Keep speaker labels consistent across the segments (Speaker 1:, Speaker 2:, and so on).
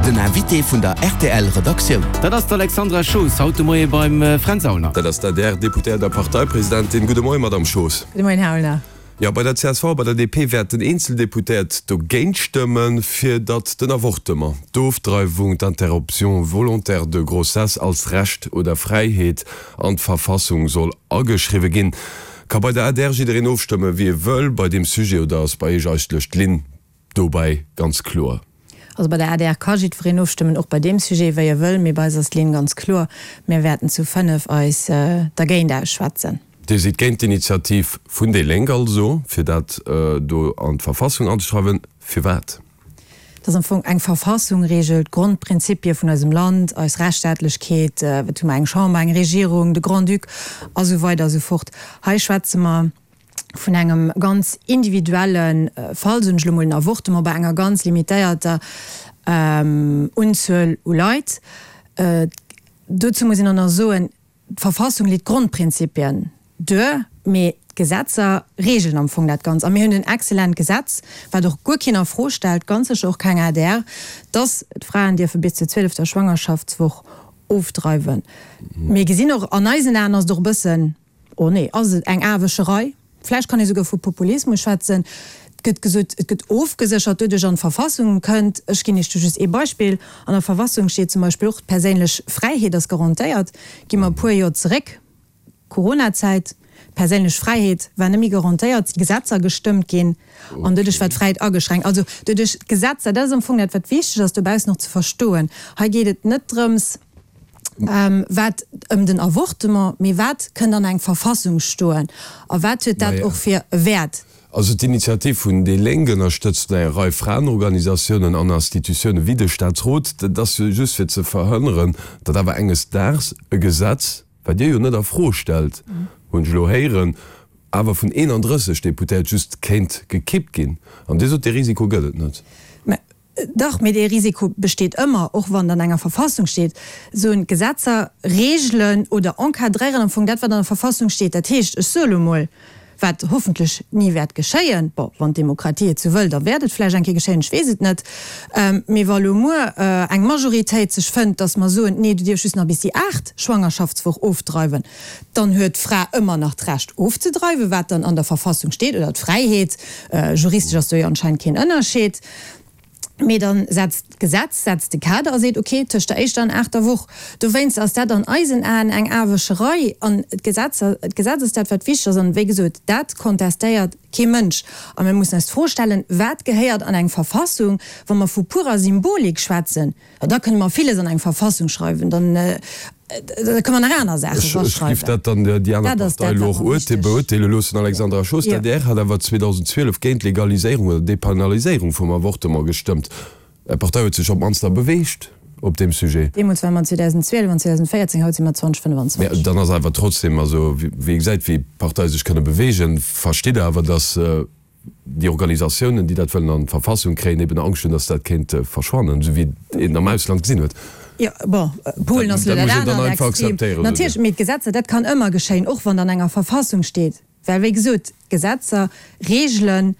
Speaker 1: Den Invité vun der rtl Redaktioun.
Speaker 2: Dat ass d'Alexandra Schoos haut de Moie beim Fränz Aulner.
Speaker 3: Dat ass d'ADR-Deputéiert a Parteipresidentin. Gudde Moien, Madamm Schoos.
Speaker 4: Gudde Moien, Här Aulner.
Speaker 3: Jo, bei der csv a bei der DP wäerten eenzel Deputéiert dogéint stëmmen, fir datt den Avortement, d'Ofdreiwung, d'Interruption volontaire de grossesse als Recht oder Fräiheet an d'Verfassung soll ageschriwwe ginn. Ka bei der adr jiddereen ofstëmmen, wéi e wëll bei deem Sujet, oder ass bei Iech eigentlech d'Linn dobäi ganz kloer?
Speaker 4: Also bei der adr ka jiddwereen ofstëmmen, och bei deem Sujet, wéi e wëll, mee bei eis ass d'Linn ganz kloer, Mir wäerten zu 5 eis dergéint ausschwätzen.
Speaker 3: Dir sidd géint d'Initiativ vun déi Lénk also, fir dat do an d'Verfassung anzeschreiwen. Firwat?
Speaker 4: Et ass am Fong eng Verfassung reegelt d'Grondprinzipie vun eisem Land, eis Rechtsstaatlechkeet, wat hu mer, eng Chamber, eng Regierung, de Grand-Duc a sou weider a sou fort. Hei schwätze mer vun engem ganz individuelle Fall, soen ech elo mol, en Avortement bei enger ganz limitéierter Unzuel u Leit. Dozou muss een och nach soen, D'Verfassung leet d'Grondprinzipien duer, mee d'Gesetzer reegelen am Fong dat Ganzt. A mir hunn en excellent Gesetz, wat och guer keen a Fro stellt, ganz sécher och keng adr, dass d'Fraen dierfe bis zur zwielefter Schwangerschaftswoch ofdreiwen. Mir gesinn och, an eisen Aen ass et och e bëssen, oh nee, ass et eng Aewëscherei, Vläicht kann ee souguer vu Populismus schwätzen. Et gëtt gesot, et gëtt ofgeséchert doduerch an d'Verfassung kënnt. Ech ginn Iech do just ee Beispill. An der Verfassung steet zum Beispill och, d'perséinlech Fräiheet ass garantéiert. Gi mer e puer Joer zeréck, Coronazäit, d'perséinlech Fräiheet war net méi garantéiert, si Gesetzer gestëmmt ginn an doduerch war d'Fräiheet ageschränkt. Also doduerch d'Gesetzer, dat ass am Fong dat, wat wichteg ass dobaussen och ze verstoen. Hei geet et net drëms, Wat ëm den Avortement, mee wat kënnt an eng Verfassung stoen a wat huet dat och fir e Wäert?
Speaker 3: Also d'Initiativ vun déi Lénk ënnerstëtzt eng Rei Fraenorganisatiounen an Institutioune wéi de Staatsrot. Dat ass jo just fir ze verhënneren, datt awer enges Daags e Gesetz, wat Dir jo net a Fro stellt, hunn ech elo héieren, awer vun 31 Deputéiert just kéint gekippt ginn. An Dir sot, dee Risiko gëtt et net.
Speaker 4: Mä Dach, mee dee Risiko besteet ëmmer, och wann et an enger Verfassung steet. Soen d'Gesetzer regelen oder encadréieren am Fong dat, wat an der Verfassung steet. Dat heescht, ech soe lo mol, wat hoffentlech ni wäert geschéien, bon, wann d'Demokratie et sou wëll, da wäert et vläicht eng Kéier geschéien, ech weess et net, mee wa lo muer eng Majoritéit sech fënnt, datt mer soen, nee, du dierfs just nach bis déi aacht Schwangerschaftswoch ofdreiwen, dann huet d'Fra ëmmer nach d'Recht ofzedreiwen, wat dann an der Verfassung steet, oder d'Fräiheet, juristesch ass do jo anscheinend keen Ënnerscheed. Mee dann setzt d'Gesetz setzt de Kader a seet, okay, tëscht der éischter an aachter Woch. Dowéinst ass dat an eisen Aen eng Aarwëscherei. An d'Gesetzer, d'Gesetz ass dat, wat wichteg ass. An, wéi gesot, dat kontestéiert kee Mënsch. A mir mussen eis d'Fro stellen, Wat gehéiert an eng Verfassung, wa mer vu purer Symbolik schwätzen? Jo, da kënne mer villes an eng Verfassung schreiwen, dann da kënne mer nach aner Saache
Speaker 3: Ech raschreiwen. giff dat dann déi aner Dat ass Partei dat, elo wat och mer wichteg. beurteele loossen. Alexandra Schoos, Jo. D'adr hat awer 2012 géint d'Legaliséierung oder Depenaliséierung vum Avortement gestëmmt. Är Partei huet sech op d'mannst da beweegt op deem Sujet.
Speaker 4: Deemools ware mer 2012 an 2014, haut si mer 2025.
Speaker 3: Mä dann ass awer trotzdem, also wéi ee gesäit, wéi Parteie sech kënne beweegen, verstitt Der awer, datt déi Organisatiounen, déi dat wëllen an d'Verfassung kréien, eben Angscht hunn, datt dat kéint verschwannen, esou wéi een am Ausland gesinn huet.
Speaker 4: Jo, bon, Polen ass elo dat anert Extrem. Natierlech, mee d'Gesetzer, dat kann ëmmer geschéien, och wann an enger Verfassung steet, well wéi gesot, d'Gesetzer reegelen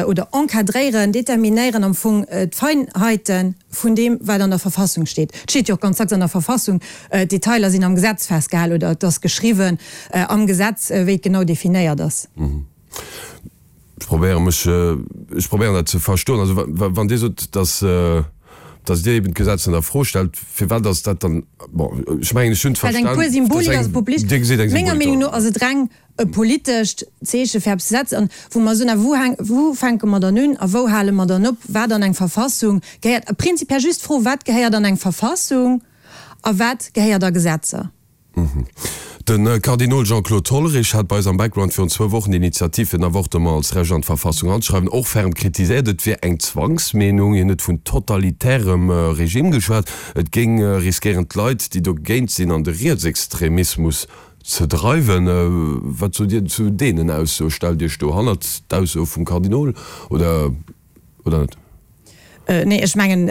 Speaker 4: oder encadréieren, determinéieren am Fong d'Feinheite vun deem, wat an der Verfassung steet. Et steet jo och ganz dacks an der Verfassung, d'Detailer sinn am Gesetz festgehalen oder et ass geschriwwen am Gesetz, wéi et genau definéiert ass.
Speaker 3: Ech probéiere mech, ech probéieren dat ze verstoen. Also wann Dir sot, datt, datt Dir eben d'Gesetz net a Fro stellt, firwat ass dat dann, bon, ech mengen, ech hunn
Speaker 4: et Well et eng
Speaker 3: verstan,
Speaker 4: pur Symbolik ass, populistesch. Dir gesitt eng Menger Symbolik Meenung no dran. ass et reng e politescht Zeeche fir eppes ze setzen an wou mer soen, a wou hänk, wou fänke mer dann un a wou hale mer dann op, wat an eng Verfassung gehéiert. Prinzipiell just d'Fro, wat gehéiert an eng Verfassung a wat gehéiert a Gesetzer?
Speaker 3: De Kardinol Jean-Claude Hollerich hat bei eis am Background virun zwou Wochen d'Initiativ fir den Avortement als Recht an d'Verfassung anzeschreiwen och ferm kritiséiert. Et wier eng Zwangsmeenung. Hien huet vun totalitärem Regime geschwat. Et géing riskéieren d'Leit, déi dogéint sinn, an de Rietsextremismus ze dreiwen. Wat sot Dir zu deenen Aussoe? Stellt Iech do hannert d'Aussoe vum Kardinol oder net?
Speaker 4: Nee, ech mengen,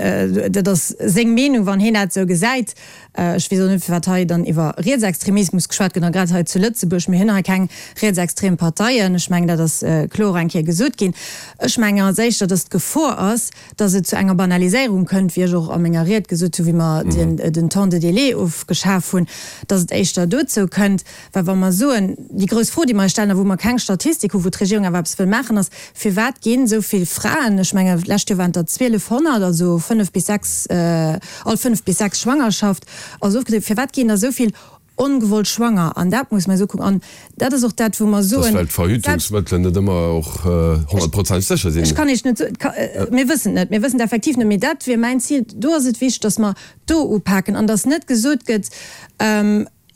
Speaker 4: dat ass seng Meenung, wann hien dat esou gesäit. Ech weess och net, firwat hei dann iwwer Rietsextremismus geschwat gëtt, a grad hei zu Lëtzebuerg. Mir hunn hei keng rietsextrem Parteien. Ech mengen, dat ass kloer eng Kéier gesot ginn. Ech mengen als éischter, dass d'Gefor ass, dass et zu enger Banaliséierung kënnt, wéi ech och a menger Ried gesot hunn, wéi mer den Temps de délai ofgeschaf hunn, dass et éischter dozou kënnt. Well wa mer soen, déi grouss Fro, déi mer eis stellen a wou mer keng Statistik hunn, wou d'Regierung awer eppes wëll maachen, ass, Firwat ginn esou vill Fraen, ech mengen, d'lescht Joer waren et der 1.200, also fënnef bis sechs, all fënnef bis sechs Schwangerschaft ass ofgedriwwen, firwat ginn der esou vill ongewollt schwanger? An dat muss mer eis ukucken. An dat ass och dat, wou mer
Speaker 3: soen, Dat ass, well d'Verhütungsmëttelen net ëmmer och honnertprozenteg sécher sinn.
Speaker 4: Ech kann Iech net soen, mir wëssen et net, mir wëssen et effektiv net, mee dat wier mäin Zil. Do ass et wichteg, dass mer do upaken an dass net gesot gëtt,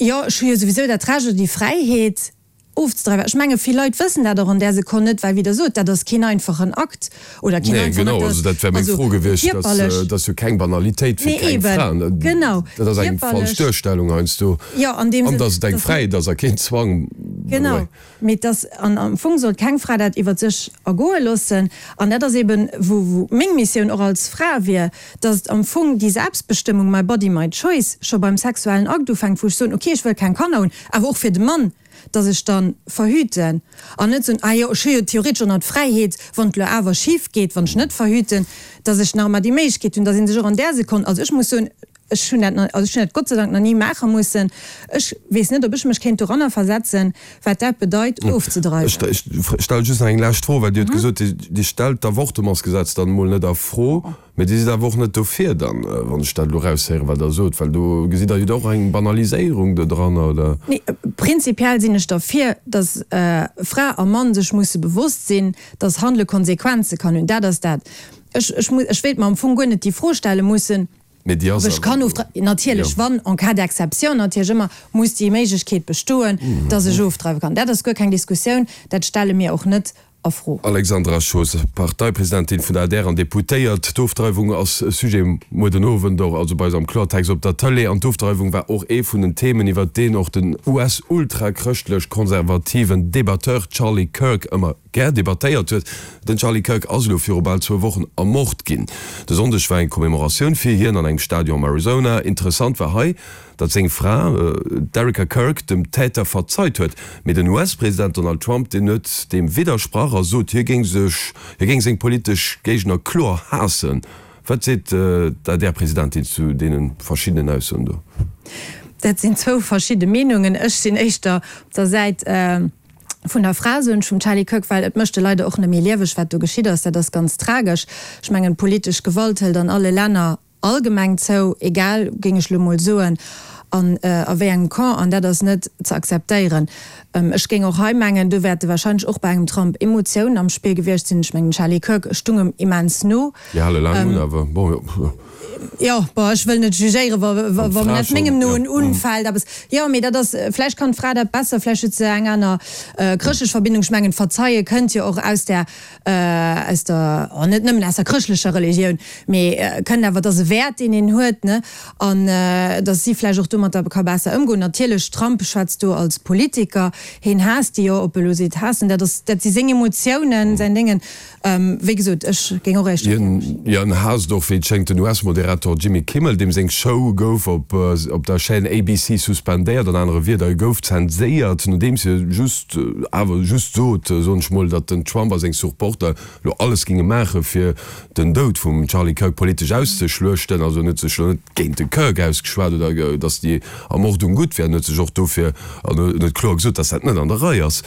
Speaker 4: Jo, ech hu jo souwisou dat Recht oder déi Fräiheet ofzedreiwen. Ech menge vill Leit wëssen dat och an där Sekonn net, well wéi Der sot, dat ass keen einfachen Akt oder keen
Speaker 3: Nee,
Speaker 4: einfachen
Speaker 3: genau,
Speaker 4: Akt,
Speaker 3: also dat wär meng
Speaker 4: also
Speaker 3: Fro gewiescht. Dat
Speaker 4: kierperlech.
Speaker 3: ass jo keng Banalitéit fir
Speaker 4: Nee,
Speaker 3: keng
Speaker 4: eben,
Speaker 3: Fra.
Speaker 4: genau,
Speaker 3: Dat ass eng falsch
Speaker 4: kierperlech.
Speaker 3: Duerstellung heiansdo.
Speaker 4: Jo, an deem
Speaker 3: An
Speaker 4: Sënn,
Speaker 3: datt et eng
Speaker 4: dass.
Speaker 3: Fräiheet ass a keen Zwang, by the
Speaker 4: Genau.
Speaker 3: way.
Speaker 4: Mee et ass, an am Fong sollt keng Fra dat iwwer sech ergoe loossen, an dat ass eben, wou wou meng Missioun och als Fra wier, datt am Fong déi Selbstbestëmmung, my body, my choice, scho beim sexuellen Akt ufänkt, wou ech soen, okay, ech wëll keng Kanner hunn, awer och fir de Mann, datt ech da verhüten an net soen, ah jo, ech hu jo theoretesch och nach d'Fräiheet, wann et elo awer schif geet, wann ech net verhüten, datt ech nach ëmmer déi Méiglechkeet hunn, datt ee sech och an där Sekonn, also ech muss soen, Ech hunn dat, also ech hunn dat Gott sei Dank nach ni maache mussen. Ech weess net, ob ech mech kéint doranner versetzen, wat dat bedeit, ofzedreiwen.
Speaker 3: Ech stelle just nach eng lescht Fro, well Dir hutt gesot, Dir stellt d'Avortementsgesetz dann emol net a Fro, mä Dir sidd awer och net dofir dann, wann ech dat elo eraushéieren, wat Der sot, well do gesitt Der jo och eng Banaliséierung do dranner, oder?
Speaker 4: Nee, prinzipiell sinn ech derfir, datt Fra a Mann sech musse bewosst sinn, datt Handele Konsequenze kann hunn. Dat ass dat. Ech, ech, ech wéilt mer am Fong guer net déi Fro stelle mussen.
Speaker 3: Mee déi ass
Speaker 4: Ech kann
Speaker 3: awer
Speaker 4: ofdreiwen, natierlech,
Speaker 3: jo.
Speaker 4: wann en cas d'exception natierlech ëmmer muss déi Méiglechkeet bestoen, dass ech ofdreiwe kann. Dat ass guer keng Diskussioun, dat stelle mir och net a Fro.
Speaker 3: Alexandra Schoos, Parteipresidentin vun der adr an Deputéiert. D'Ofdreiwung ass e Sujet muer den Owend och, also bei eis am Kloertext op der Tëlee. An d'Ofdreiwung war och ee vun den Themen, iwwert deen och den US-ultrachrëschtlech-konservativen Debatteur Charlie Kirk ëmmer gär debattéiert huet. Den Charlie Kirk ass elo viru bal zwou Wochen ermort ginn. De Sonndeg war eng Commemoratioun fir hien an engem Stadion am Arizona. Interessant war hei, datt seng Fra, d'Erika Kirk, dem Täter verzeit huet. Mee den US-President Donald Trump, deen huet deem widdersprach a sot, hie géing sech, hie géing seng politesch Géigner kloer haassen. Wat seet d'ADR-Presidentin zu deene verschiddenen Aussoen do?
Speaker 4: Dat sinn zwou verschidde Meenungen. Ech sinn éischter op der Säit vun der Fra, soen ech, vum Charlie Kirk, well et mécht de leider och net méi lieweg, wat do geschitt ass. Dat ass ganz tragesch. Ech mengen, politesch Gewalt hëlt an alle Länner allgemeng zou, egal, géing ech elo mol soen, an a wéi engem Camp, an dat ass net ze akzeptéieren. Ech géing och hei mengen, do wäerte wahrscheinlech och bei engem Trump Emotiounen am Spill gewiescht sinn. Ech mengen, den Charlie Kirk stung em immens no.
Speaker 3: Déi hale laang un, awer bon, jo.
Speaker 4: Jo, bon, ech wëll net jugéieren, wa, wa, wa net mengem Noen unfält eppes. Jo, mee dat ass, vläicht kann d'Fra dat besser, vläicht huet se eng aner chrëschtlech Verbindung. Ech mengen, d'Verzeie kënnt jo och aus där, aus der, oh, net nëmmen aus der chrëschtlecher Religioun, mee kënnt awer, et ass e Wäert, deen een huet, ne, an datt si vläicht och domatter ka besser ëmgoen. Natierlech, Trump schwätzt do als Politiker, heen haasst déi jo, ob e lo seet haassen, dat ass, dat si seng Emotiounen, säin Déngen. Wéi gesot, ech géing och éischter
Speaker 3: Hien, hien haasst och, wéi et schéngt, den US-Moderator Jimmy Kimmel, deem seng Show gouf op op der Chaîne ABC suspendéiert, an anere Wierder, e gouf zenséiert, nodeems hie just, awer just sot, soen ech mol, datt den Trump a seng Supporter lo alles géinge maache fir den Doud vum Charlie Kirk politesch auszeschluechten. Also en huet sech lo net géint de Kirk ausgeschwat oder datt déi Ermordung gutt wär. En huet sech och dofir, an en huet kloer gesot, datt dat net an der Rei ass,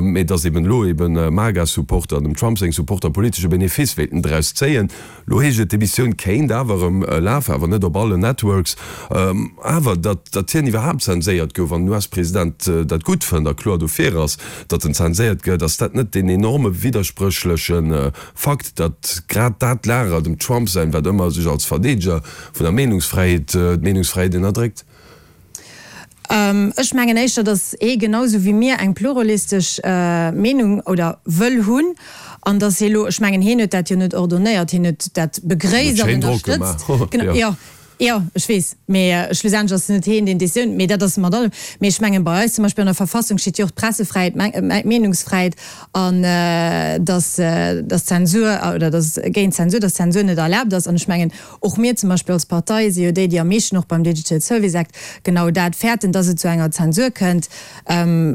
Speaker 3: mee datt eben elo eben MAGA-Supporter an dem Trump seng Supporter politesche Benefice wéilten draus zéien. Lo heescht et, d'Emissioun kéint awer erëm lafen, awer net op allen Networks. Awer datt datt hien iwwerhaapt zenséiert gouf an den US-President dat gutt fënnt a kloer dofir ass, datt en zenséiert gëtt, ass dat net deen enorme widderspréchleche Fakt, datt grad dat Lager dem Trump säin, wat ëmmer sech als Verdeedeger vun der Meenungsfräiheet, d'Meenungsfräiheet ënnerdréckt?
Speaker 4: Ech mengen éischter, datt ee genau sou wéi mir eng pluralistesch Meenung oder wëll hunn an datt hie lo, ech mengen hien huet dat jo net ordonnéiert, hien huet dat begréisst an ënnerstëtzt. Genau, jo. Jo, ech weess, mee schlussendlech ass et net heen, deen d'Décisioun, mee dat ass mat allem. Mee ech mengen, bei eis zum Beispill an der Verfassung steet jo och d'Pressefräiheet, d'Meenungsfräiheet an dass, dass d'Zensur oder dass géint d'Zensur, dass d'Zensur net erlaabt ass. An ech mengen, och mir zum Beispill als Partei si jo déi, déi am meeschten och beim Digital Service Act genau dat fäerten, dass et zu enger Zensur kënnt.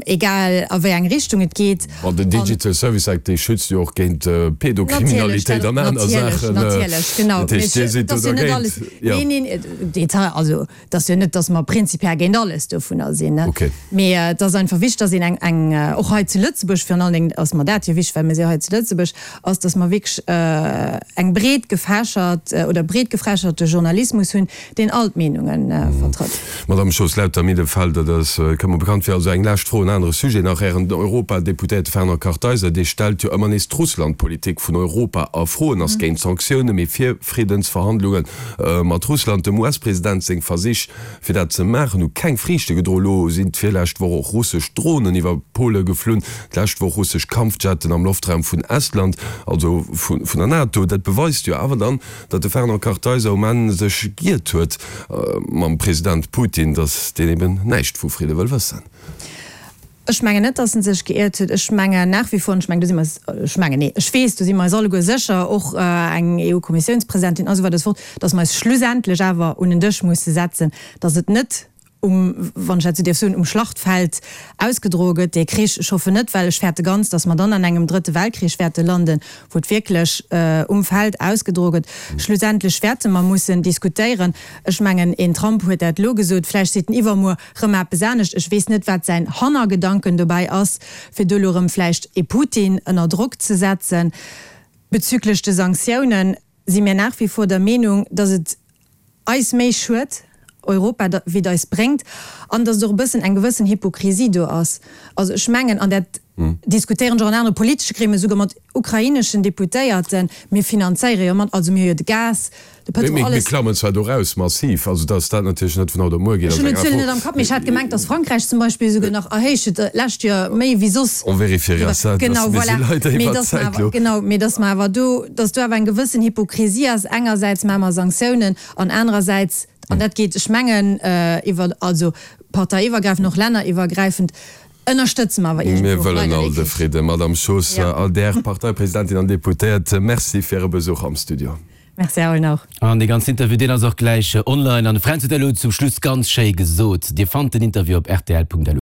Speaker 4: Egal a wéi eng Richtung et geet.
Speaker 3: An den Digital Service Act, dee schützt jo och géint Pädokriminalitéit an aner Saachen.
Speaker 4: Natierlech, genau.
Speaker 3: Dat heescht, Dir sidd do dergéint?
Speaker 4: Neen, neen, Detail, also et ass jo net, datt mer prinzipiell géint alles dovunner sinn. Mee et ass einfach wichteg, datt een eng, och hei zu Lëtzebuerg virun allen Dingen ass mer dat jo wichteg, well mir si jo hei zu Lëtzebuerg, ass, datt mer wierklech eng breet gefächert oder breet gefächerte Journalismus hunn, deen all d'Meenunge vertrëtt.
Speaker 3: Madame Schoos-Lauter, Middelfeld, dat ass, kënnt mer bekannt vir. Also eng lescht Fro, en anere Sujet nach. Ären Europadeputéierte Fernand Kartheiser, dee stellt jo ëmmer nees d'Russlandpolitik vun Europa a Fro. En ass géint Sanktioune, mee fir Friddensverhandlunge mat Russland. Dem US-President seng Versich, fir dat ze maachen, hu keng Friichte gedroen. Elo sinn d'virlescht Woch och russesch Dronen iwwer Pole geflunn, d'lescht Woch russesch Kampfjetten am Loftraum vun Estland, also vun der NATO. Dat beweist jo awer dann, datt de Fernand Kartheiser um Enn sech giert huet mam President Putin, datt deen eben näischt vu Fridde wëll wëssen.
Speaker 4: Ech mengen net, datt en sech geiert huet. Ech mengen nach wie vor, an ech mengen, do si mer eis, ech mengen, nee, ech weess, do si mer eis alleguer sécher, och eng EU-Kommissiounspresidentin a sou weider a sou fort, datt mer eis schlussendlech awer un en Dësch musse setzen, datt et net um, wann ech dat esou dierf soen, um Schlachtfeld ausgedroe gëtt, dee Krich. Ech hoffen net, well ech fäerte ganz, datt mer dann an engem drëtte Weltkrich wäerte landen, wou et wierklech um Feld ausgedroe gëtt. Schlussendlech wäerte mer mussen diskutéieren. Ech mengen, een Trump huet dat elo gesot, vläicht seet en iwwermuer rëm eppes anescht. Ech weess net, wat säin Hannergedanken dobäi ass, fir do elo rëm vläicht ee Putin ënner Drock ze setzen. Bezüglech de Sanktiounen si mir nach wie vor der Meenung, datt et eis méi schued, Europa, wéi et eis bréngt, an datt et och e bëssen eng gewëssen Hypokrisie do ass. Also ech mengen, an dat diskutéieren ech och an anere politesche Gremien, esouguer mat ukraineschen Deputéierten, mir finanzéiere jo mat, also mir hu jo de Gas, de Pëtrol,
Speaker 3: alles. Mir klammen zwar do raus massiv, also datt dat natierlech net vun haut op muer geet,
Speaker 4: ass eng aner Fro. Ech hunn d'Zuelen net am Kapp, mee ech hat gemengt, datt Frankräich zum Beispill esouguer nach erhéicht huet d'lescht Joer, méi wéi soss.
Speaker 3: On vérifiera ça,
Speaker 4: dass mir si leider iwwer d'Zäit elo. Genau, mee datt mer awer do, datt do awer eng gewëssen Hypokrisie ass. Engersäits maache mer Sanktiounen an anerersäits, an dat geet, ech mengen, iwwer, also parteiiwwergräifend, och länneriwwergräifend, ënnerstëtze mer awer
Speaker 3: iergendwou och weider dee Krich. Mir wëllen all de Fridden. Madame Schoos, ADR Parteipresidentin an Deputéiert, Merci fir Äre Besuch am Studio.
Speaker 4: Merci Erwin och.
Speaker 2: An dee ganzen Interview, deen ass och gläich online. An de Fränz huet elo zum Schluss ganz schéi gesot, Dir fannt den Interview op rtl.lu.